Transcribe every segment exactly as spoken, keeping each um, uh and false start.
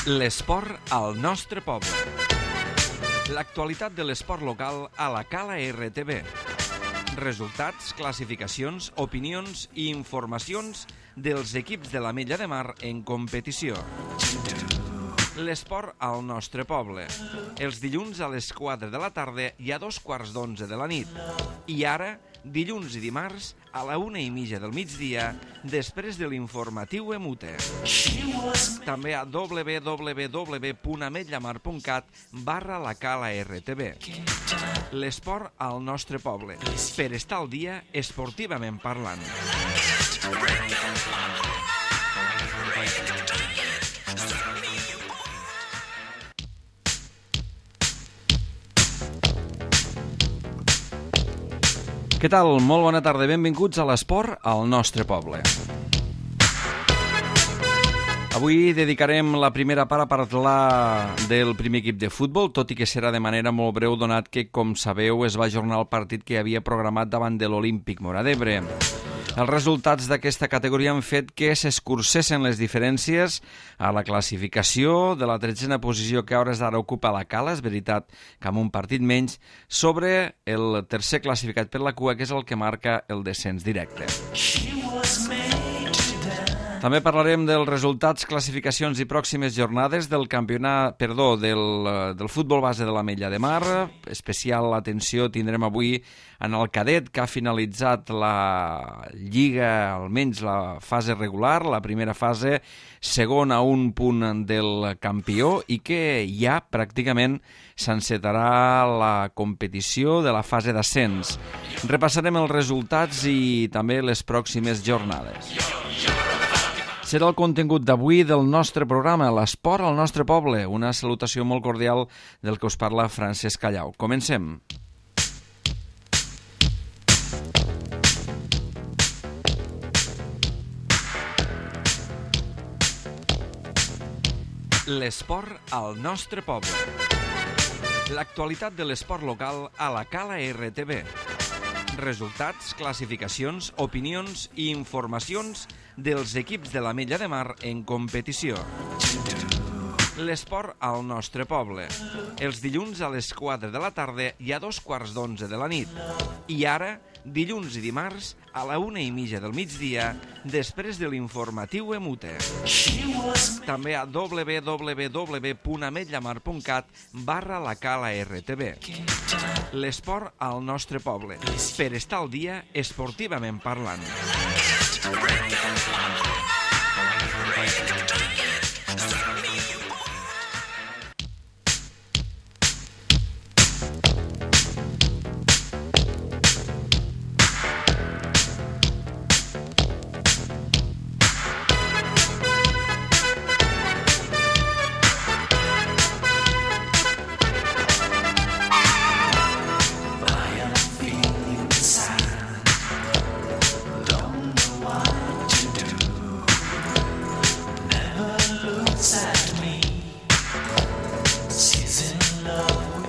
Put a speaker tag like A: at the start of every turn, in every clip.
A: L'esport al nostre poble. L'actualitat de l'esport local a la Cala R T V. Resultats, classificacions, opinions i informacions dels equips de l'Ametlla de Mar en competició. L'esport al nostre poble. Els dilluns a les quatre de la tarda i a dos quarts d'onze de la nit. I ara, dilluns i dimarts, a la una i mitja del migdia, després de l'informatiu Emute. També a w w w punt ametllamar punt cat barra la Cala R T V. L'esport al nostre poble, per estar al dia esportivament parlant. Què tal? Molt bona tarda, benvinguts a l'esport al nostre poble. Avui dedicarem la primera part a parlar del primer equip de futbol, tot i que serà de manera molt breu, donat que, com sabeu, es va ajornar el partit que havia programat davant de l'Olímpic Móra d'Ebre. Els resultats d'aquesta categoria han fet que s'escurcessin les diferències a la classificació de la tretzena posició que a hores d'ara ocupa la Cala, és veritat que amb un partit menys, sobre el tercer classificat per la cua, que és el que marca el descens directe. També parlarem dels resultats, classificacions i pròximes jornades del campionat, perdó, del, del futbol base de l'Ametlla de Mar. Especial atenció tindrem avui en el cadet, que ha finalitzat la lliga, almenys la fase regular, la primera fase, segon a un punt del campió, i que ja pràcticament s'encetarà la competició de la fase d'ascens. Repassarem els resultats i també les pròximes jornades. Serà el contingut d'avui del nostre programa, l'esport al nostre poble. Una salutació molt cordial del que us parla Francesc Callau. Comencem. L'esport al nostre poble. L'actualitat de l'esport local a la Cala R T V. Resultats, classificacions, opinions i informacions dels equips de l'Ametlla de Mar en competició. L'esport al nostre poble. Els dilluns a les quatre de la tarda i a dos quarts d'onze de la nit. I ara, dilluns i dimarts, a la una i mitja del migdia, després de l'informatiu Emute. També a w w w punt ametllamar punt cat barra la Cala R T V. L'esport al nostre poble, per estar al dia esportivament parlant.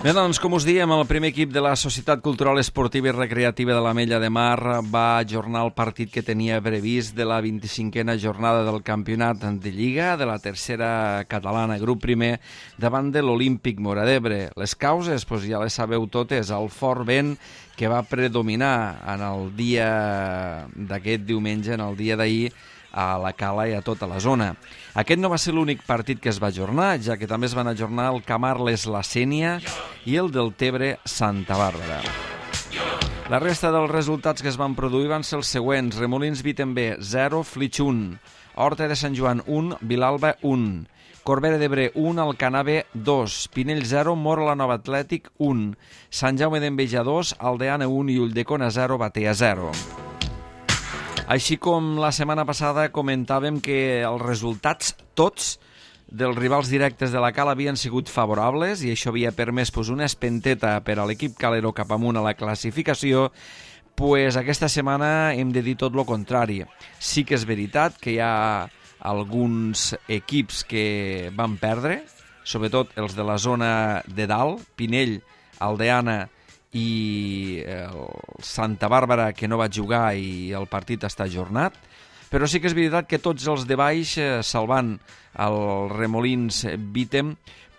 A: Bé, doncs, com us diem, el primer equip de la Societat Cultural Esportiva i Recreativa de l'Ametlla de Mar va ajornar el partit que tenia previst de la vint-i-cinquena jornada del campionat de Lliga de la tercera catalana, grup primer, davant de l'Olímpic Móra d'Ebre. Les causes, doncs ja les sabeu totes, el fort vent que va predominar en el dia d'aquest diumenge, en el dia d'ahir, a la Cala i a tota la zona. Aquest no va ser l'únic partit que es va ajornar, ja que també es van ajornar el Camarles-La Sénia i el del Tebre Santa Bàrbara. La resta dels resultats que es van produir van ser els següents: Remolins Vitember zero, Flix un, Horta de Sant Joan un, Vilalba un, Corbera d'Ebre un, Alcanave dos, Pinell zero, Mora la Nova Atlètic un, Sant Jaume d'Enveja dos, Aldeana un i Ulldecona zero, Batea zero. Així com la setmana passada comentàvem que els resultats tots dels rivals directes de la Cala havien sigut favorables i això havia permès pues, una espenteta per a l'equip calero cap amunt a la classificació, pues, aquesta setmana hem de dir tot el contrari. Sí que és veritat que hi ha alguns equips que van perdre, sobretot els de la zona de dalt, Pinell, Aldeana i el Santa Bàrbara, que no va jugar i el partit està ajornat, Però sí que és veritat que tots els de baix, eh, salvant el Remolins Vítem,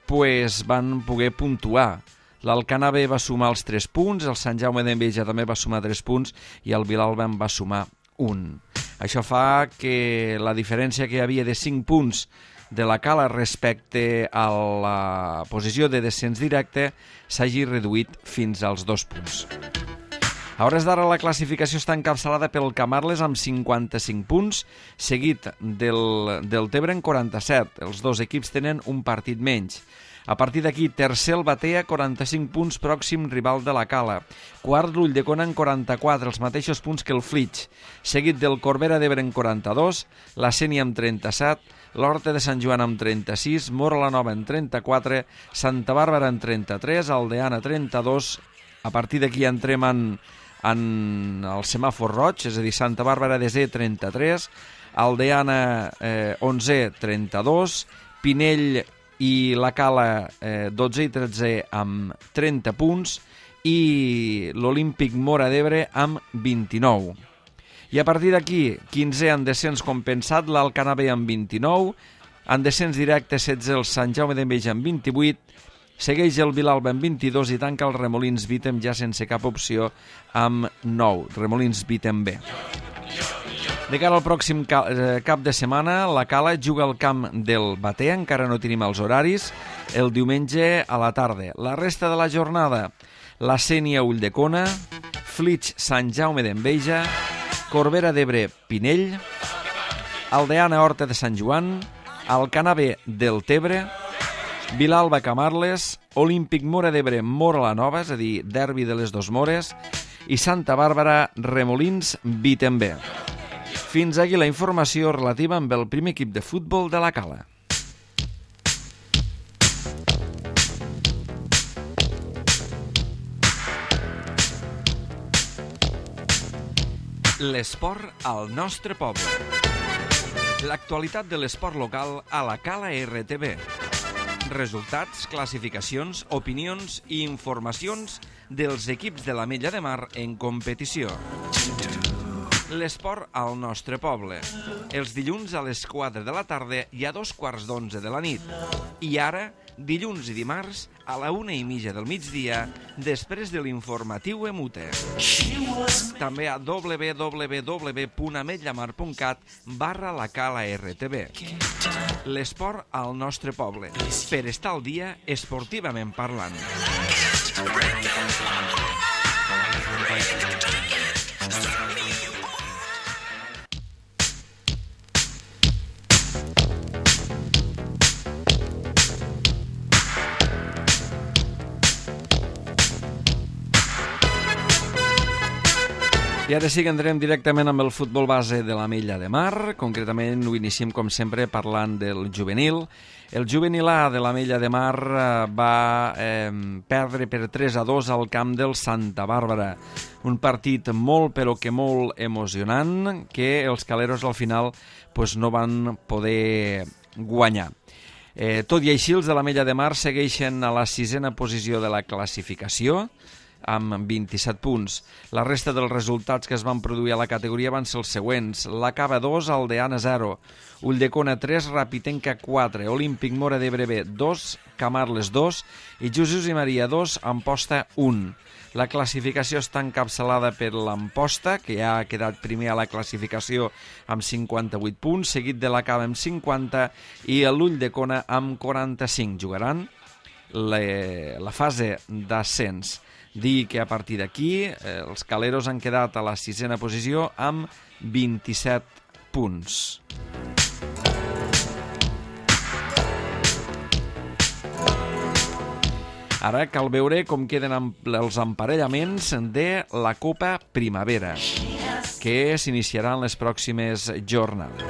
A: pues van poder puntuar. L'Alcanar B va sumar els tres punts, el Sant Jaume d'Enveja també va sumar tres punts i el Vilalba en va sumar un. Això fa que la diferència que hi havia de cinc punts de la Cala respecte a la posició de descens directe s'hagi reduït fins als dos punts. A hores d'ara la classificació està encapçalada pel Camarles amb cinquanta-cinc punts, seguit del, del Tebre en quaranta-set. Els dos equips tenen un partit menys. A partir d'aquí, tercer el Batea, quaranta-cinc punts, pròxim rival de la Cala. Quart, l'Ulldecona en quaranta-quatre, els mateixos punts que el Flix. Seguit del Corbera d'Ebre en quaranta-dos, la Sénia amb trenta-set, l'Horta de Sant Joan amb trenta-sis, Móra la Nova en trenta-quatre, Santa Bàrbara en trenta-tres, Aldeana trenta-dos. A partir d'aquí entrem en, en el semàfor roig, és a dir, Santa Bàrbara desè trenta-tres, Aldeana eh, onze trenta-dos, Pinell i la Cala eh, dotze i tretze amb trenta punts i l'Olímpic Móra d'Ebre amb vint-i-nou. I a partir d'aquí, quinzè en descens compensat, l'Alcanar B amb vint-i-nou, en descens directe setze el Sant Jaume d'Enveja amb vint-i-vuit, segueix el Vilalba amb vint-i-dos i tanca el Remolins Vítem ja sense cap opció amb nou, Remolins Vítem B. De cara al pròxim cap de setmana, la Cala juga al camp del Batea, encara no tenim els horaris, el diumenge a la tarda. La resta de la jornada, la Sénia Ulldecona, Flix Sant Jaume d'Enveja, Corbera d'Ebre Pinell, Aldeana Horta de Sant Joan, Alcanar B del Tebre, Vilalba Camarles, Olímpic Móra d'Ebre Móra la Nova, és a dir, derbi de les dos Mores, i Santa Bàrbara Remolins Vítem B. Fins aquí la informació relativa amb el primer equip de futbol de la Cala. L'esport al nostre poble. L'actualitat de l'esport local a la Cala R T V. Resultats, classificacions, opinions i informacions dels equips de l'Ametlla de Mar en competició. L'esport al nostre poble. Els dilluns a les quatre de la tarda i a dos quarts d'onze de la nit. I ara, dilluns i dimarts, a la una i mitja del migdia, després de l'informatiu Emute. També a w w w punt ametllamar punt cat barra la Cala R T V. L'esport al nostre poble. Per estar al dia, esportivament parlant. I ara sí que entrem directament amb el futbol base de l'Ametlla de Mar. Concretament ho iniciem, com sempre, parlant del juvenil. El juvenil A de l'Ametlla de Mar va eh, perdre per tres a dos al camp del Santa Bàrbara. Un partit molt, però que molt emocionant, que els caleros al final pues, no van poder guanyar. Eh, tot i així, els de l'Ametlla de Mar segueixen a la sisena posició de la classificació, amb vint-i-set punts. La resta dels resultats que es van produir a la categoria van ser els següents. La Cava dos, Aldeana zero, Ulldecona tres, Rapitenca quatre, Olímpic Móra d'Ebre B dos, Camarles dos i Jesús i Maria dos, Amposta un. La classificació està encapçalada per l'Amposta, que ja ha quedat primer a la classificació amb cinquanta-vuit punts, seguit de la Cava amb cinquanta i l'Ulldecona amb quaranta-cinc. Jugaran la, la fase d'ascens. Dir que a partir d'aquí eh, els caleros han quedat a la sisena posició amb vint-i-set punts. Ara cal veure com queden els emparellaments de la Copa Primavera, que s'iniciaran les pròximes jornades.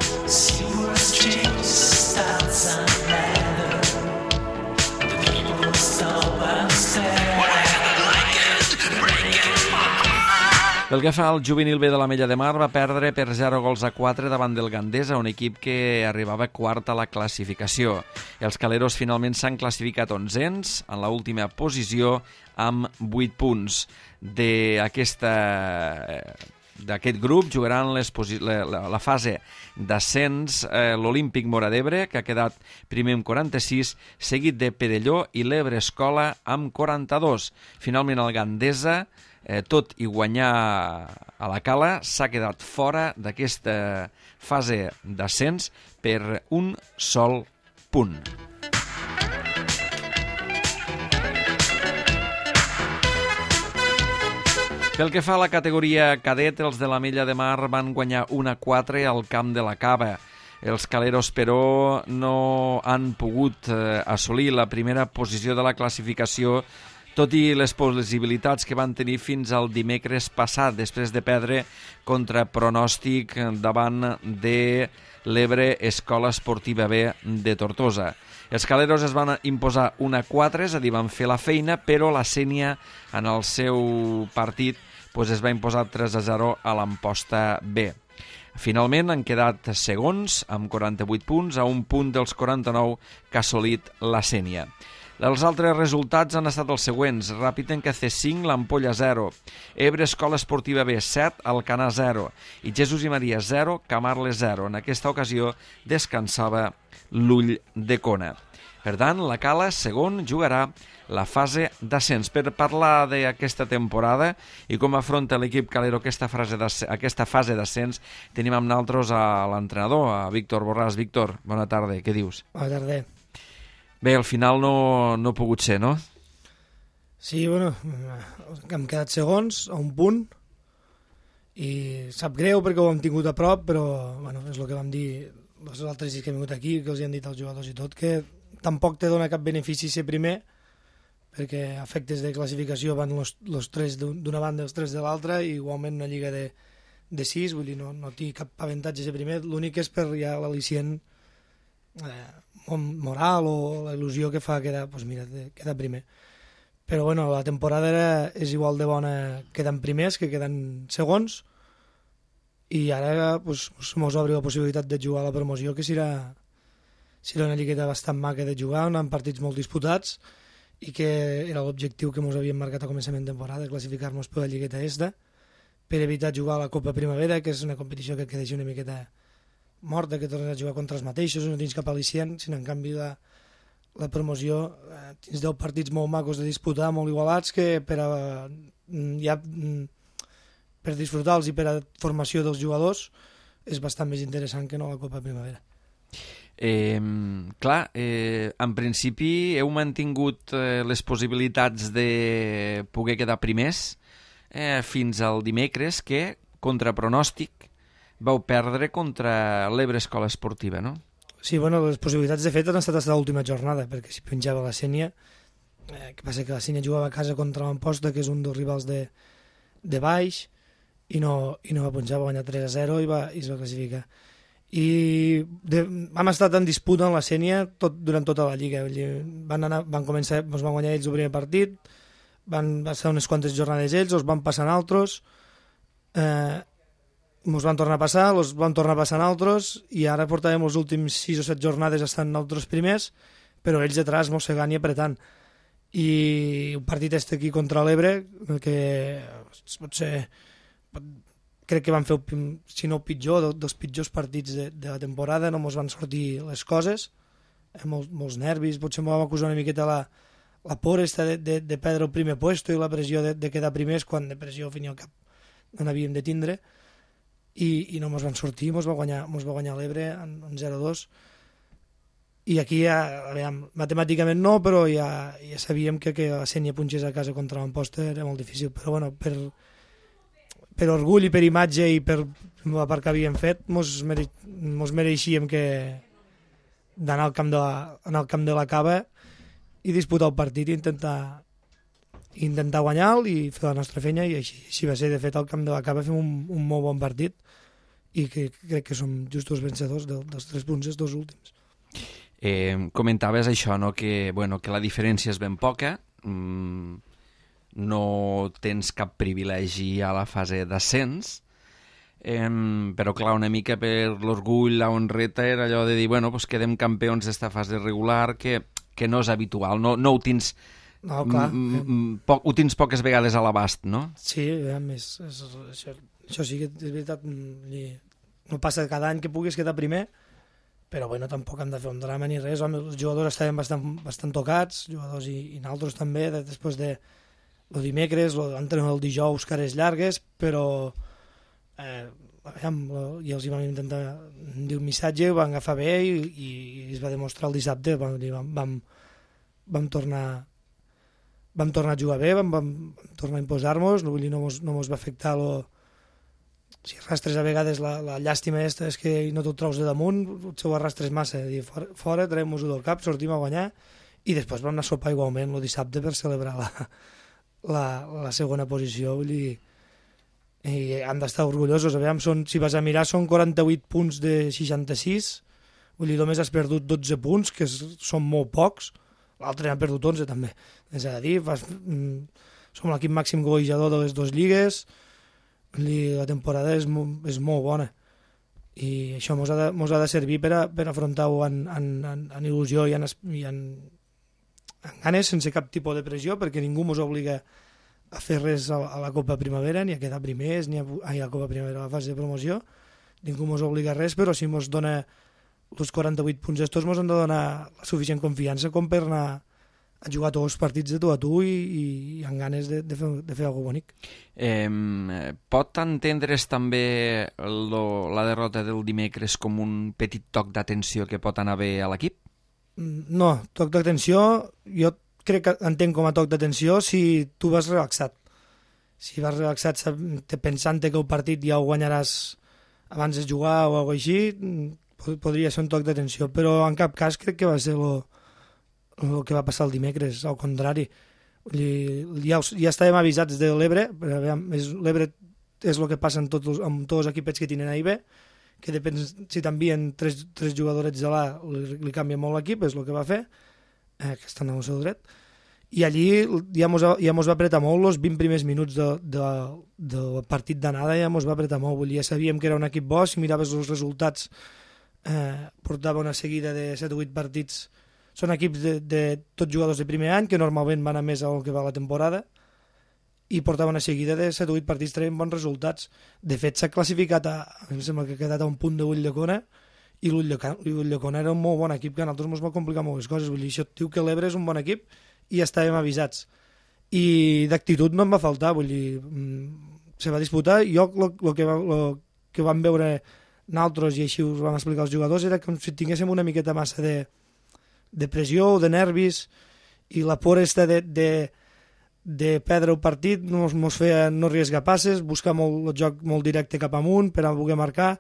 A: Pel que fa al juvenil B de l'Ametlla de Mar, va perdre per zero gols a quatre davant del Gandesa, un equip que arribava quart a la classificació. Els caleros finalment s'han classificat onzens en l'última posició amb vuit punts. D'aquesta d'aquest grup jugaran les la, la, la fase d'ascens eh, l'Olímpic Móra d'Ebre, que ha quedat primer amb quaranta-sis, seguit de Perelló i l'Ebre Escola amb quaranta-dos. Finalment el Gandesa, eh, tot i guanyar a la Cala, s'ha quedat fora d'aquesta fase d'ascens per un sol punt. Pel que fa a la categoria cadet, els de l'Ametlla de Mar van guanyar un a quatre al camp de la Cava. Els caleros, però, no han pogut eh, assolir la primera posició de la classificació, tot i les possibilitats que van tenir fins al dimecres passat, després de perdre contra pronòstic davant de l'Ebre Escola Esportiva B de Tortosa. Els caleros es van imposar un a quatre, és a dir, van fer la feina, però la Sénia, en el seu partit, doncs es va imposar tres a zero a l'Amposta B. Finalment han quedat segons, amb quaranta-vuit punts, a un punt dels quaranta-nou que ha assolit la Sénia. Els altres resultats han estat els següents: Ràpitenca C cinc, l'Ampolla zero, Ebre Escola Esportiva B set, Alcanar zero i Jesús i Maria zero, Camarles zero. En aquesta ocasió descansava l'Ull de Cona. Per tant, la Cala, segon, jugarà la fase d'ascens. Per parlar d'aquesta temporada i com afronta l'equip calero aquesta fase aquesta fase d'ascens, tenim amb nosaltres a l'entrenador, a Víctor Borràs. Víctor, bona tarda, què dius?
B: Bona tarda.
A: Bé, al final no, no ha pogut ser, no?
B: Sí, bueno, hem quedat segons, a un punt, i sap greu perquè ho hem tingut a prop, però bueno, és el que vam dir els altres dies que hem vingut aquí, que els hi han dit als jugadors i tot, que tampoc te dona cap benefici ser primer, perquè a efectes de classificació van els tres d'una banda i els tres de l'altra, i igualment una lliga de, de sis, vull dir, no, no té cap avantatge ser primer, l'únic és per ja l'al·licient eh, moral o la il·lusió que fa quedar, doncs mira, quedar primer. Però bueno, la temporada era, és igual de bona quedant primers que quedant segons, i ara pues, mos obre la possibilitat de jugar a la promoció, que serà, serà una lligueta bastant maca de jugar, amb partits molt disputats, i que era l'objectiu que ens havíem marcat a començament de temporada, classificar-nos per la lligueta esta, per evitar jugar a la Copa Primavera, que és una competició que deixa una miqueta morta, que tornes a jugar contra els mateixos, no tens cap al·licient, sinó en canvi la, la promoció eh, tens deu partits molt macos de disputar, molt igualats, que per a, ja, per disfrutar-los i per a formació dels jugadors és bastant més interessant que no la Copa Primavera.
A: Eh, clar, eh, en principi heu mantingut eh, les possibilitats de poder quedar primers eh, fins al dimecres, que, contra pronòstic, vau perdre contra l'Ebre Escola Esportiva, no?
B: Sí, bueno, les possibilitats de fet han estat fins a l'última jornada, perquè si penjava la Sénia, eh, que passa que la Sénia jugava a casa contra l'Amposta, que és un dels rivals de, de baix, i no, i no va punjar, va guanyar tres a zero i, va, i es va classificar. I de, vam estar en disputa amb la Sénia tot, durant tota la lliga. Van, anar, van començar, ens van guanyar ells el primer partit, van passar unes quantes jornades ells, els van passar altres, eh, ens van tornar a passar, els van tornar a passar altres, i ara portàvem els últims sis o set jornades estant nosaltres primers, però ells detrás mossegant i apretant. I un partit este aquí contra l'Ebre, que pot ser, crec que van fer, si no el pitjor, dels pitjors partits de, de la temporada, no ens van sortir les coses, eh, molts, molts nervis, potser ens vam acusar una miqueta la, la por esta de, de, de perdre el primer puesto i la pressió de, de quedar primers, quan de pressió al fin i al cap no n'havíem de tindre. I, i no ens van sortir, ens va guanyar, ens va guanyar l'Ebre en, en zero a dos, i aquí ja, veiem, matemàticament no, però ja, ja sabíem que, que la Sénia punxés a casa contra l'Amposta era molt difícil, però bueno, per, per orgull i per imatge i per la part que havíem fet, ens mere, mereixíem que d'anar al camp de la, anar al camp de la Cava i disputar el partit i intentar intentar guanyar-lo i fer la nostra feina, i així, així va ser. De fet, al camp de la Cava fem un, un molt bon partit i que crec que som justos vencedors de, dels tres punts, els dos últims.
A: Eh, comentaves això, no? Que, bueno, que la diferència és ben poca, mm, no tens cap privilegi a la fase d'ascens, eh, però clar, una mica per l'orgull, la honreta, era allò de dir, bueno, pues quedem campions d'esta fase regular, que, que no és habitual, no, no ho tens
B: No, clar.
A: M -m poc, ho tens poques vegades a l'abast, no?
B: Sí, a més, és, això, això sí que és veritat, no passa cada any que puguis quedar primer, però bueno, tampoc hem de fer un drama ni res. Home, els jugadors estaven bastant, bastant tocats, jugadors i, i nosaltres també, de, després de el dimecres, l'entrenador el dijous, cares llargues, però eh, aviam, i els hi vam intentar dir un missatge, ho van agafar bé i, i, i es va demostrar el dissabte, vam, vam, vam, vam tornar vam tornar a jugar bé, vam, vam tornar a imposar-nos, no, no, mos, no mos va afectar lo... si arrastres a vegades la, la llàstima aquesta és que no t'ho treus de damunt, potser ho arrastres massa, dir, fora, fora traiem-nos-ho del cap, sortim a guanyar i després vam anar a sopar igualment el dissabte per celebrar la, la, la segona posició, vull dir, i han d'estar orgullosos. Aviam, són, si vas a mirar, són quaranta-vuit punts de seixanta-sis, vull dir, només has perdut dotze punts, que són molt pocs, l'altre n'ha perdut onze també, és a dir, vas, mm, som l'equip màxim golejador de les dues lligues, vull dir, la temporada és, és molt bona i això mos ha de, mos ha de servir per, a, per afrontar-ho en, en, en, en il·lusió i en, i en, en ganes, sense cap tipus de pressió, perquè ningú mos obliga a fer res a, a la Copa Primavera, ni a quedar primers, ni a, ai, a la Copa Primavera, a la fase de promoció, ningú mos obliga a res, però si mos dona els quaranta-vuit punts estos mos han de donar la suficient confiança com per anar a jugar tots els partits de tu a tu i, i, i amb ganes de, de, fer, de fer alguna cosa bonic.
A: Eh, pot entendre's també lo, la derrota del dimecres com un petit toc d'atenció que pot anar bé a l'equip?
B: No, toc d'atenció, jo crec que entenc com a toc d'atenció si tu vas relaxat. Si vas relaxat pensant que el partit ja ho guanyaràs abans de jugar o alguna cosa així, podria ser un toc d'atenció, però en cap cas crec que va ser el que va passar el dimecres, al contrari. Ja, ja estàvem avisats de l'Ebre, l'Ebre és el que passa amb tots, amb tots els equipets que tenen A i B, que depèn si t'envien tres, tres jugadorets de l'A, li, li canvia molt l'equip, és el que va fer, eh, que estan al seu dret, i allí ja mos, ja mos va apretar molt els vint primers minuts de, de, del partit d'anada, ja mos va apretar molt, vull dir, ja sabíem que era un equip bo, si miraves els resultats eh, portava una seguida de set o vuit partits, són equips de, de tots jugadors de primer any, que normalment van a més al que va la temporada, i portava una seguida de set o vuit partits traient bons resultats. De fet, s'ha classificat a, em sembla que ha quedat a un punt de Ulldecona, i l'Ulldecona era un molt bon equip, que a nosaltres ens va complicar moltes coses. Vull dir, això diu que l'Ebre és un bon equip i ja estàvem avisats. I d'actitud no em va faltar, vull dir, se va disputar. Jo el que, va, lo que vam veure nosaltres, i així us vam explicar als jugadors, era com si tinguéssim una miqueta massa de, de pressió o de nervis, i la por esta de... de de perdre el partit, no ens feia no arriesgar passes, buscar molt, el joc molt directe cap amunt per a poder marcar.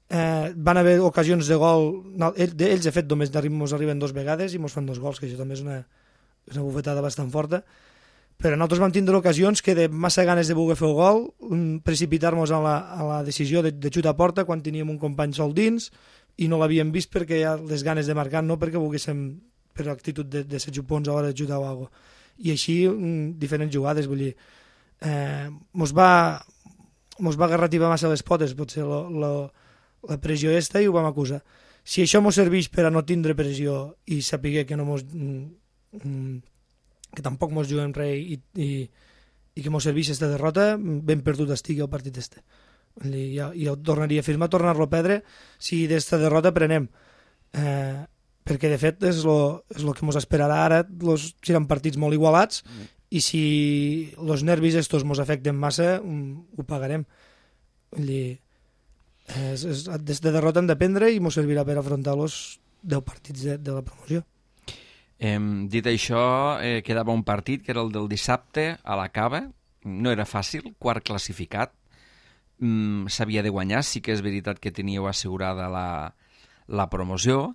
B: Eh, van haver ocasions de gol, no, ells, de fet només ens arriben dues vegades i ens fan dos gols, que això també és una, una bufetada bastant forta, però nosaltres vam tindre ocasions que de massa ganes de voler fer el gol, precipitar-nos a, la, a la decisió de, de xutar a porta quan teníem un company sol dins i no l'havíem vist perquè hi ha les ganes de marcar, no perquè volguéssim per l'actitud de, de ser xupons a l'hora de xutar o alguna cosa. I així diferents jugades, vull dir, eh, mos va mos va garrativar massa les potes, potser lo, lo, la pressió esta, i ho vam acusar. Si això mos serveix per a no tindre pressió i saber que no mos mm, que tampoc mos juguem res i, i, i que mos serveix aquesta derrota, ben perdut estigui el partit este. Vull dir, jo, jo tornaria a firmar, tornar-lo a perdre si d'esta derrota prenem. Eh, perquè de fet és el que ens esperarà ara, los, seran partits molt igualats, mm. i si els nervis estos ens afecten massa, um, ho pagarem. Vull dir, és, és, des de derrota hem d'aprendre i ens servirà per afrontar els deu partits de, de la promoció.
A: Eh, dit això, eh, quedava un partit que era el del dissabte a la Cava, no era fàcil, quart classificat, mm, s'havia de guanyar, sí que és veritat que teníeu assegurada la, la promoció,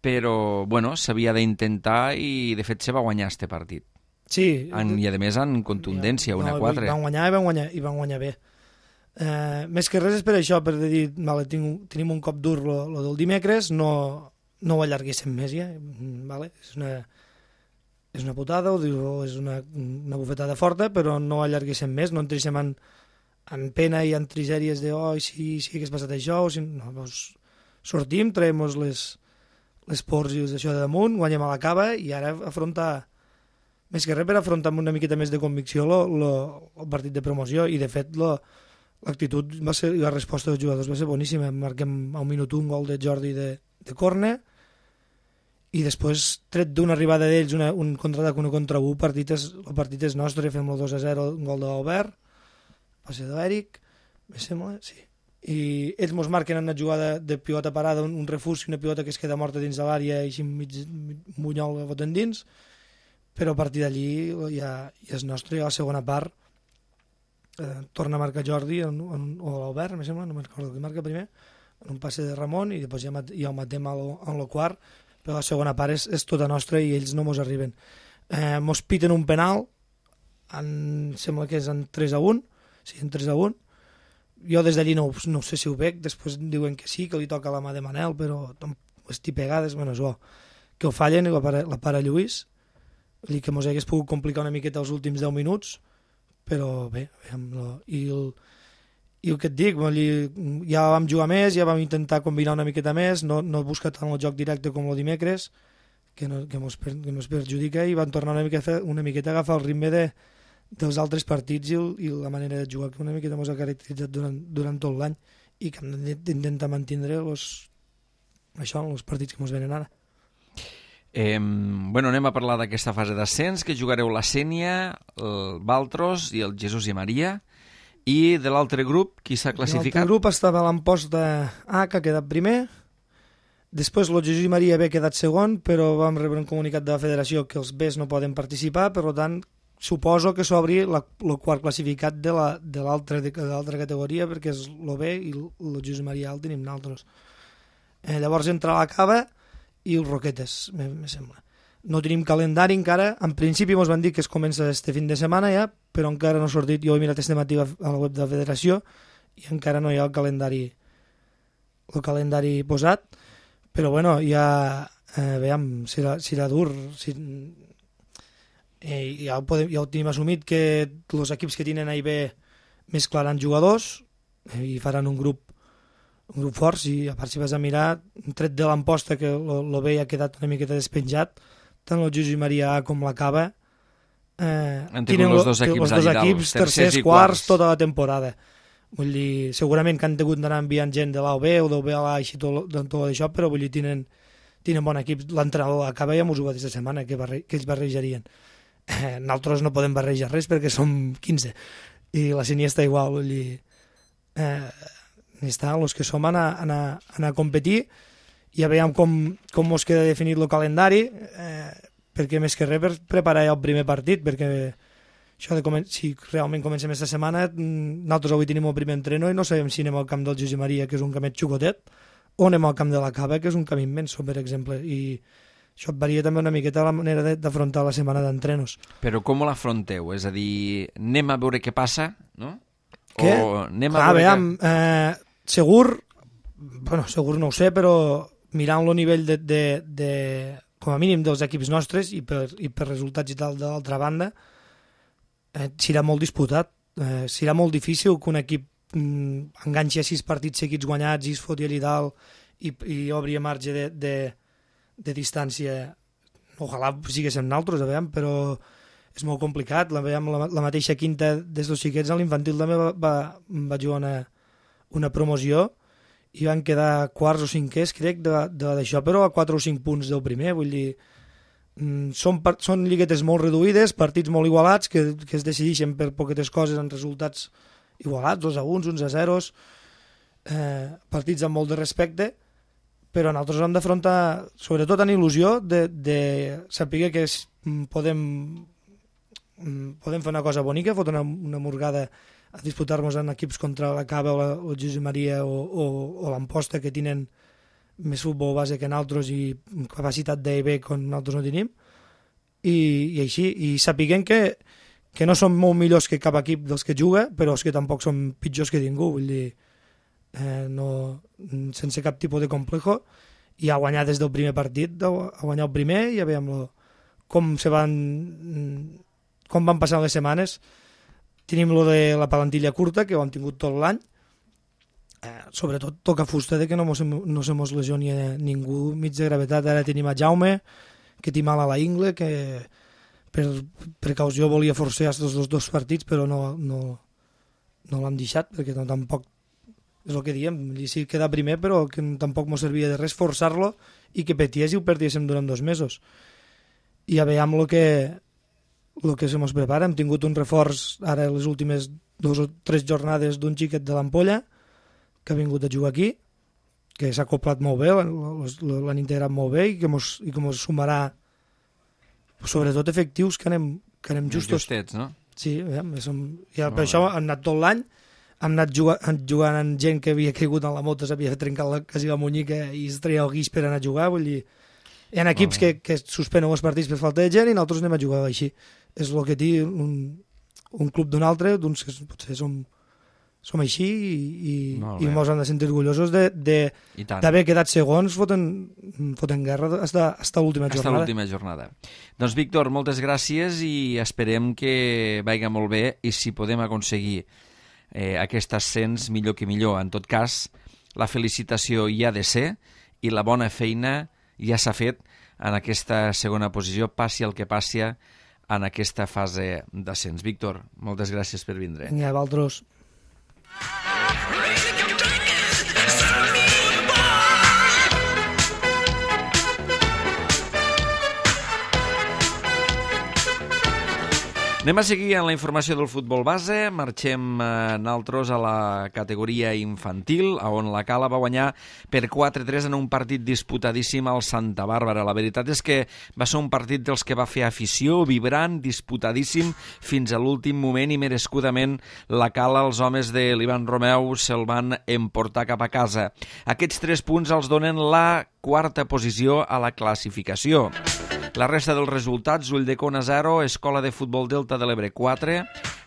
A: però, bueno, s'havia d'intentar i, de fet, se va guanyar este partit.
B: Sí.
A: En, I, a més, en contundència, una
B: no,
A: quatre.
B: Van guanyar i van guanyar, i van guanyar bé. Eh, més que res és per això, per dir, vale, tinc, tenim un cop dur lo, lo del dimecres, no, no ho allarguéssim més ja, vale? És una, és una putada, o és una, una bufetada forta, però no ho allarguéssim més, no entréssim en, en pena i en trigèries de, oh, si, si hagués passat això, o si... no, doncs sortim, traiem les... les pors i això de damunt, guanyem a la Cava i ara afrontar més que res per afrontar amb una miqueta més de convicció lo, lo, el partit de promoció, i de fet lo, l'actitud va ser, i la resposta dels jugadors va ser boníssima. Marquem a un minut un gol de Jordi de, de córner, i després, tret d'una arribada d'ells, una, un contraatac, una contra u, partit és, el partit és nostre, fem el dos a zero, un gol de l'Albert, passe de l'Eric, me sembla, sí. I ells mos marquen en una jugada de pilota parada, un, un refús i una pilota que es queda morta dins de l'àrea i així mig munyol la foten dins, però a partir d'allí ja, ja és nostre. I a la segona part eh, torna a marcar Jordi en, en, o l'Albert, me sembla, no me'n recordo qui marca primer, en un passe de Ramon, i després ja, ja el matem en el quart, però la segona part és, és tota nostra i ells no mos arriben. Eh, mos piten un penal, en, sembla que és en tres a un, sí, en tres a un. Jo des d'allí no, no sé si ho veig, després diuen que sí, que li toca la mà de Manel, però estic pegades, bueno, és bo. Que ho fallen i la para, la para Lluís, i que mos hagués pogut complicar una miqueta els últims deu minuts, però bé, i el, i el que et dic, ja vam jugar més, ja vam intentar combinar una miqueta més, no, no buscar tant el joc directe com el dimecres, que, no, que, mos, que mos perjudica, i van tornar una miqueta, una miqueta a agafar el ritme de dels altres partits i, el, i la manera de jugar que una miqueta ens ha caracteritzat durant, durant tot l'any, i que hem d'intentar mantenir los, això en els partits que ens venen ara.
A: Eh, bueno, anem a parlar d'aquesta fase d'ascens, que jugareu la Sénia, el Valtros i el Jesús i Maria, i de l'altre grup, qui s'ha classificat?
B: L'altre grup estava a l'Amposta A, que ha quedat primer, després el Jesús i Maria B ha quedat segon, però vam rebre un comunicat de la federació que els Bs no poden participar, per tant suposo que s'obri el quart classificat de l'altra categoria, perquè és el B i el Josep Maria el tenim nosaltres. Eh, llavors entra la Cava i els Roquetes, me, me sembla. No tenim calendari encara, en principi ens van dir que es comença este fin de setmana ja, però encara no ha sortit. Jo he mirat este matí a la web de la federació i encara no hi ha el calendari, el calendari posat, però bueno, ja eh, veiem, serà, serà dur, si, Eh, ja, ho podem, ja ho tenim assumit que els equips que tenen A i B mesclaran jugadors eh, i faran un grup un grup fort. I a part, si vas a mirar, tret de l'Amposta, que el B ha quedat una miqueta despenjat, tant el Josep Maria A com la Cava eh,
A: tenen els dos equips,
B: los dos equips tercers, quarts, quarts, tota la temporada. Vull dir, segurament que han hagut d'anar enviant gent de l'A o B o del B a l'A i tot, tot això, però vull dir, tenen, tenen bon equip. L'entrenador a Cava ja m'ho va dir aquesta setmana, que, barre, que ells barrejarien. Eh, nosaltres no podem barrejar res perquè som quinze i la Sénia està igual, vull dir, eh, estan els que som a anar, a anar, a anar a competir, i ja veiem com, com ens queda definit el calendari, eh, perquè més que res per preparar ja el primer partit, perquè això de comen- si realment comencem aquesta setmana, nosaltres avui tenim el primer entreno i no sabem si anem al camp del Josep Maria, que és un camet xucotet, o anem al camp de la Cava, que és un camí immenso, per exemple, i això et varia també una miqueta la manera d'afrontar la setmana d'entrenos.
A: Però com l'afronteu? És a dir, anem a veure què passa, no?
B: Què?
A: O anem a
B: ah,
A: veure
B: veiem,
A: que...
B: eh, segur, bueno, segur no ho sé, però mirant el nivell de, de, de, com a mínim dels equips nostres i per, i per resultats i tal de l'altra banda, eh, serà molt disputat. Eh, serà molt difícil que un equip mm, enganxi a sis partits seguits guanyats i es foti allà dalt i, i obri a marge de... de de distància. Ojalà siguéssim nosaltres, a veure, però és molt complicat. La, veiem, la, la mateixa quinta des dels xiquets a l'infantil també va, va, va jugar una, una promoció i van quedar quarts o cinquers, crec, d'això, però a quatre o cinc punts del primer. Vull dir, són, són lliguetes molt reduïdes, partits molt igualats, que, que es decideixen per poquetes coses en resultats igualats, dos a uns, uns a zeros, eh, partits amb molt de respecte, però nosaltres hem d'afrontar, sobretot en il·lusió, de, de saber que es, podem, podem fer una cosa bonica, fotre una, una morgada a disputar-nos en equips contra la Cava o la o Josep Maria o, o, o l'Amposta, que tenen més futbol base que nosaltres i capacitat d'A i B que nosaltres no tenim, i, i així, i sapiguem que, que no som molt millors que cap equip dels que juga, però és que tampoc som pitjors que ningú, vull dir, Eh, no, sense cap tipus de complejo, i a guanyar des del primer partit, a guanyar el primer, i ja veiem lo, com se van com van passant les setmanes. Tenim lo de la palantilla curta, que ho hem tingut tot l'any, eh, sobretot toca fusta de que no, mos, no se mos lesioni a ningú mig de gravetat. Ara tenim a Jaume, que té mal a la ingle, que per precaució volia forçar aquests dos, dos partits, però no, no, no l'han deixat, perquè no, tampoc, és el que diem, i sí queda primer, però que tampoc no servia de res forçar-lo i que peties i ho perdiéssim durant dos mesos. I a veure amb el que, el que se mos prepara. Hem tingut un reforç ara les últimes dues o tres jornades d'un xiquet de l'Ampolla que ha vingut a jugar aquí, que s'ha acoplat molt bé, l'han integrat molt bé i que mos, i que mos sumarà sobretot efectius que anem, que anem justos.
A: Justets, no?
B: Sí, ja, som, ja per això hem anat tot l'any, hem anat jugant, jugant amb gent que havia caigut en la moto, s'havia trencat la, quasi la munyica i es treia el guix per anar a jugar, vull dir, hi ha equips que, que suspenen els partits per falta de gent i nosaltres anem a jugar així. És el que té un, un club d'un altre, doncs que potser som, som així i, i ens hem de sentir orgullosos d'haver quedat segons fotent, fotent guerra fins a l'última jornada.
A: Fins a l'última jornada. Doncs, Víctor, moltes gràcies i esperem que vagi molt bé i si podem aconseguir eh, aquest ascens, millor que millor. En tot cas, la felicitació hi ha de ser i la bona feina ja s'ha fet en aquesta segona posició, passi el que passi en aquesta fase d'ascens. Víctor, moltes gràcies per vindre.
B: Vinga, vosaltres.
A: Anem a seguir en la informació del futbol base. Marxem eh, naltros a la categoria infantil, on la Cala va guanyar per quatre a tres en un partit disputadíssim al Santa Bàrbara. La veritat és que va ser un partit dels que va fer afició, vibrant, disputadíssim, fins a l'últim moment i merescudament la Cala, els homes de l'Ivan Romeu, se'l van emportar cap a casa. Aquests tres punts els donen la quarta posició a la classificació. La resta dels resultats: Ulldecona zero, Escola de Futbol Delta de l'Ebre quatre,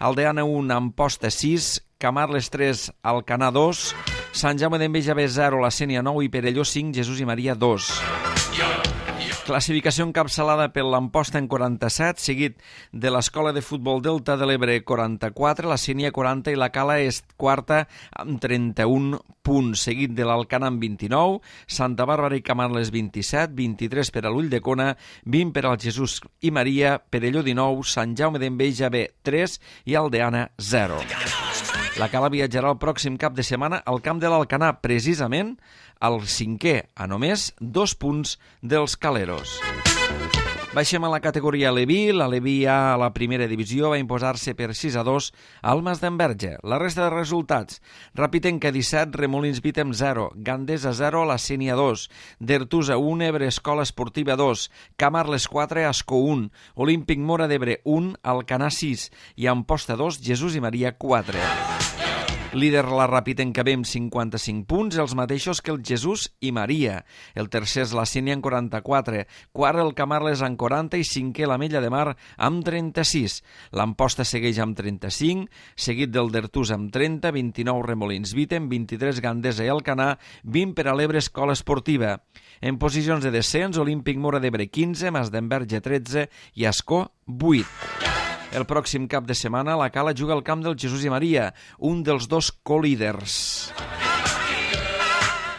A: Aldeana un, Amposta sis, Camarles tres, Alcanar dos, Sant Jaume d'Enveja B zero, La Sénia nou i Perelló cinc, Jesús i Maria dos. Classificació encapçalada per l'Amposta en quaranta-set, seguit de l'Escola de Futbol Delta de l'Ebre quaranta-quatre, la Sénia quaranta i la Cala és quarta amb trenta-un punts, seguit de l'Alcanar amb vint-i-nou, Santa Bàrbara i Camarles vint-i-set, vint-i-tres per a l'Ulldecona, vint per al Jesús i Maria, Perelló dinou, Sant Jaume d'Enveja B tres i Aldeana zero. La Cala viatjarà el pròxim cap de setmana al camp de l'Alcanar, precisament al cinquè, a només dos punts dels caleros. Baixem a la categoria Aleví. L'Aleví A a la primera divisió va imposar-se per sis a dos al Mas d'Enverge. La resta de resultats: Rapitenca disset, Remolins Vítem zero, Gandesa zero, La Sénia dos, Dertusa un, Ebre Escola Esportiva dos, Camarles quatre, Ascó un, Olímpic Mora d'Ebre un, Alcanar sis i Amposta dos, Jesús i Maria quatre. Líder la Rapitenca B amb cinquanta-cinc punts, els mateixos que el Jesús i Maria. El tercer és la Sénia amb quaranta-quatre, quart el Camarles amb quaranta i cinquè l'Ametlla de Mar amb trenta-sis. L'Amposta segueix amb trenta-cinc, seguit del Dertús amb trenta, vint-i-nou Remolins Vítem, vint-i-tres Gandesa i Alcanar, vint per a l'Ebre Escola Esportiva. En posicions de descens, Olímpic Mora d'Ebre quinze, Mas d'Enverge tretze i Ascó vuit. El pròxim cap de setmana la Cala juga al camp del Jesús i Maria, un dels dos colíders.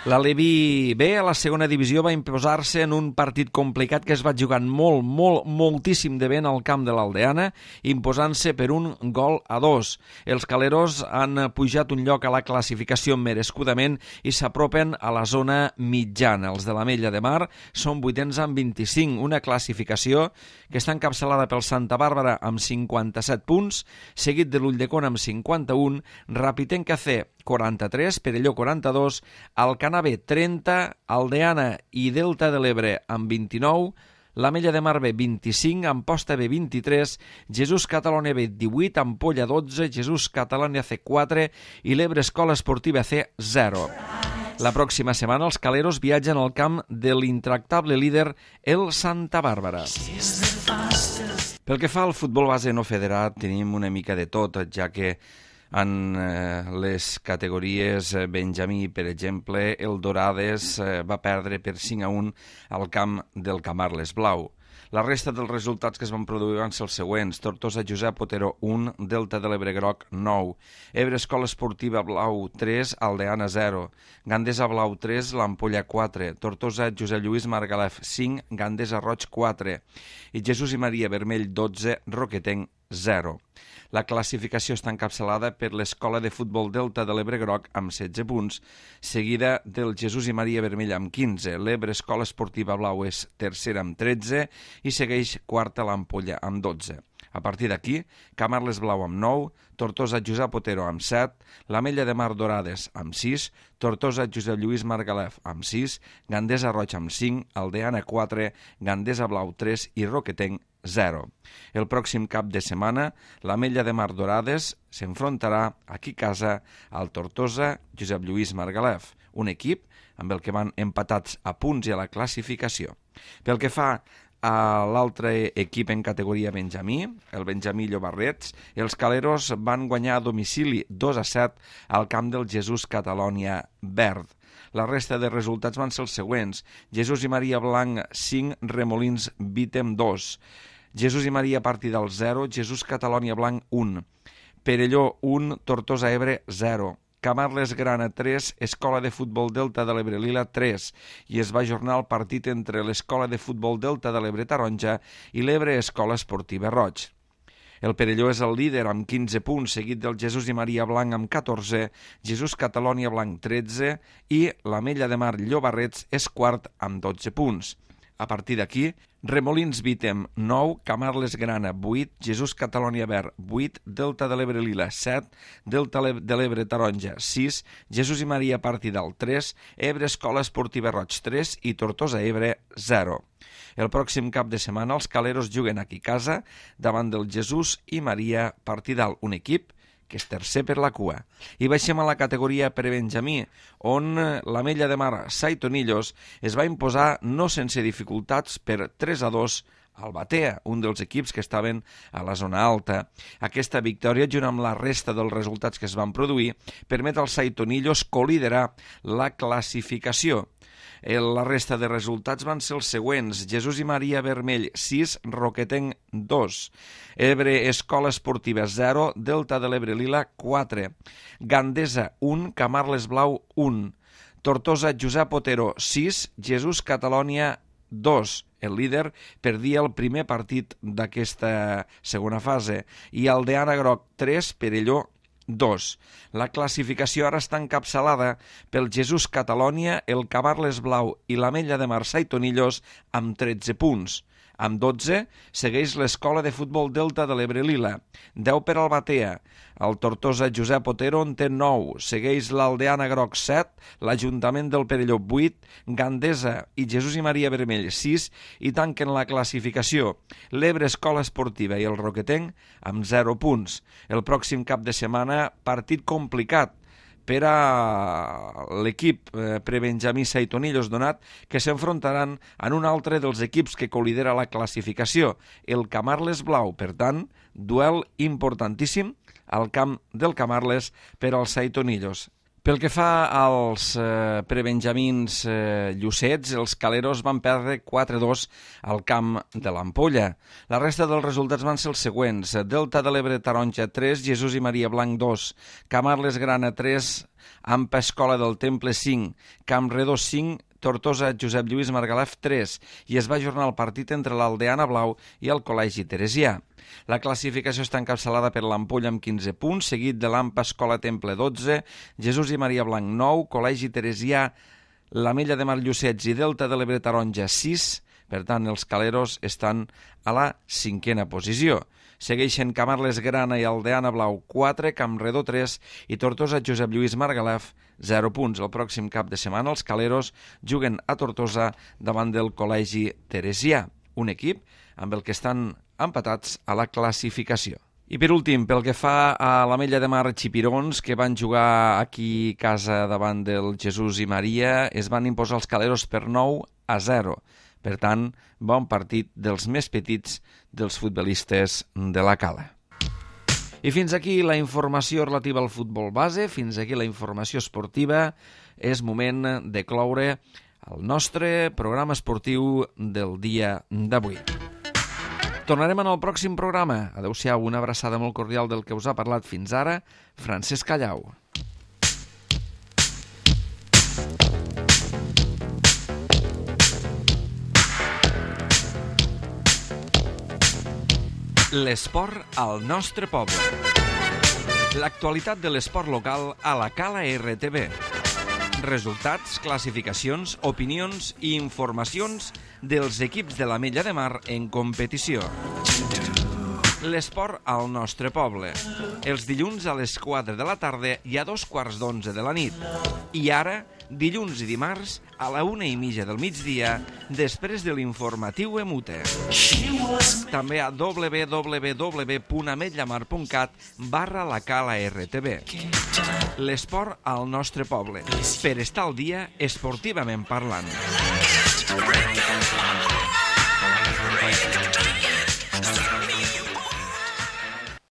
A: L'Aleví B a la segona divisió va imposar-se en un partit complicat que es va jugar molt, molt, moltíssim de vent al camp de l'Aldeana, imposant-se per un gol a dos. Els caleros han pujat un lloc a la classificació merescudament i s'apropen a la zona mitjana. Els de l'Ametlla de Mar són vuitens amb vint-i-cinc, una classificació que està encapçalada pel Santa Bàrbara amb cinquanta-set punts, seguit de l'Ulldecona amb cinquanta-un, Rapitenca C quaranta-tres, Perelló quaranta-dos, Alcanar B trenta, Aldeana i Delta de l'Ebre amb vint-i-nou, l'Ametlla de Mar B vint-i-cinc, Amposta B vint-i-tres, Jesús Catalònia B divuit, Ampolla dotze, Jesús Catalònia C quatre i l'Ebre Escola Esportiva C zero. La pròxima setmana els caleros viatgen al camp de l'intractable líder, el Santa Bàrbara. Pel que fa al futbol base no federat, tenim una mica de tot, ja que en eh, les categories Benjamí, per exemple, el Dorades eh, va perdre per cinc a un al camp del Camarles Blau. La resta dels resultats que es van produir van ser els següents. Tortosa Josep Otero un, Delta de l'Ebre Groc nou, Ebre Escola Esportiva Blau tres, Aldeana zero, Gandesa Blau tres, l'Ampolla quatre, Tortosa Josep Lluís Margalef cinc, Gandesa Roig quatre i Jesús i Maria Vermell dotze, Roquetenc zero. La classificació està encapçalada per l'Escola de Futbol Delta de l'Ebre Groc amb setze punts, seguida del Jesús i Maria Vermell amb quinze. L'Ebre Escola Esportiva Blau és tercera amb tretze i segueix quarta l'Ampolla amb dotze. A partir d'aquí, Camarles Blau amb nou, Tortosa Josep Otero amb set, l'Ametlla de Mar Dorades amb sis, Tortosa Josep Lluís Margalef amb sis, Gandesa Roig amb cinc, Aldeana quatre, Gandesa Blau tres i Roquetenc zero. El pròxim cap de setmana, l'Ametlla de Mar Dorades s'enfrontarà aquí a casa al Tortosa Josep Lluís Margalef, un equip amb el que van empatats a punts i a la classificació. Pel que fa a l'altre equip en categoria Benjamí, el Benjamí Llobarrets, els caleros van guanyar a domicili dos a set al camp del Jesús Catalònia Verd. La resta de resultats van ser els següents. Jesús i Maria Blanc cinc, Remolins Vítem dos, Jesús i Maria Partidal zero, Jesús Catalònia Blanc un, Perelló un, Tortosa Ebre zero, Camarles Grana tres, Escola de Futbol Delta de l'Ebre Lila tres, i es va ajornar el partit entre l'Escola de Futbol Delta de l'Ebre Taronja i l'Ebre Escola Esportiva Roig. El Perelló és el líder amb quinze punts, seguit del Jesús i Maria Blanc amb catorze, Jesús Catalònia Blanc tretze i l'Ametlla de Mar Llobarrets és quart amb dotze punts. A partir d'aquí, Remolins Vítem nou, Camarles Grana vuit, Jesús Catalònia Verd vuit, Delta de l'Ebre Lila set, Delta de l'Ebre Taronja sis, Jesús i Maria Partidal tres, Ebre Escola Esportiva Roig tres i Tortosa Ebre zero. El pròxim cap de setmana els caleros juguen aquí a casa davant del Jesús i Maria Partidal, un equip que és tercer per la cua. I baixem a la categoria prebenjamí, on l'Ametlla de Mar Saitonillos es va imposar no sense dificultats per tres a dos al Batea, un dels equips que estaven a la zona alta. Aquesta victòria, junt amb la resta dels resultats que es van produir, permet als Saitonillos coliderar la classificació. La resta de resultats van ser els següents. Jesús i Maria Vermell sis, Roquetenc dos, Ebre Escola Esportiva zero, Delta de l'Ebre Lila quatre, Gandesa un, Camarles Blau un, Tortosa Josep Otero sis, Jesús Catalònia dos. El líder perdia el primer partit d'aquesta segona fase i Aldeana Groc tres, Perelló dos. La classificació ara està encapçalada pel Jesús Catalònia, el Camarles Blau i l'Ametlla de Mar Saitonillos amb tretze punts. Amb dotze segueix l'Escola de Futbol Delta de l'Ebre Lila, deu per al Batea, el Tortosa Josep Otero en té nou, segueix l'Aldeana Groc set, l'Ajuntament del Perelló vuit, Gandesa i Jesús i Maria Vermell sis i tanquen la classificació l'Ebre Escola Esportiva i el Roquetenc amb zero punts. El pròxim cap de setmana, partit complicat per a l'equip prebenjamí Saitonillos, donat que s'enfrontaran en un altre dels equips que colidera la classificació, el Camarles Blau. Per tant, duel importantíssim al camp del Camarles per als Saitonillos. Pel que fa als eh, prebenjamins eh, llucets, els caleros van perdre quatre a dos al camp de l'Ampolla. La resta dels resultats van ser els següents. Delta de l'Ebre Taronja tres, Jesús i Maria Blanc dos, Camarles Grana tres, Ampa Escola del Temple cinc, Camp Redó cinc, Tortosa Josep Lluís Margalef tres, i es va ajornar el partit entre l'Aldeana Blau i el Col·legi Teresià. La classificació està encapçalada per l'Ampolla amb quinze punts, seguit de l'Ampa Escola Temple dotze, Jesús i Maria Blanc nou, Col·legi Teresià, l'Ametlla de Mar Llucets i Delta de l'Ebre Taronja sis. Per tant, els caleros estan a la cinquena posició. Segueixen Camarles Grana i Aldeana Blau quatre, Camp Redó tres i Tortosa Josep Lluís Margalef zero punts. El pròxim cap de setmana els caleros juguen a Tortosa davant del Col·legi Teresià, un equip amb el que estan empatats a la classificació. I per últim, pel que fa a l'Ametlla de Mar Xipirons, que van jugar aquí a casa davant del Jesús i Maria, es van imposar els caleros per nou a zero. Per tant, bon partit dels més petits dels futbolistes de la Cala. I fins aquí la informació relativa al futbol base, fins aquí la informació esportiva. És moment de cloure el nostre programa esportiu del dia d'avui. Tornarem en el pròxim programa. Adéu-siau, una abraçada molt cordial del que us ha parlat fins ara, Francesc Callau. L'esport al nostre poble. L'actualitat de l'esport local a la Cala R T B. Resultats, classificacions, opinions i informacions dels equips de l'Ametlla de Mar en competició. L'esport al nostre poble. Els dilluns a les quatre de la tarda i a dos quarts d'onze de la nit. I ara, dilluns i dimarts, a la una i mitja del migdia, després de l'informatiu Emute. També a w w w punt ametllamar punt cat barra la Cala R T B. L'esport al nostre poble, per estar al dia esportivament parlant.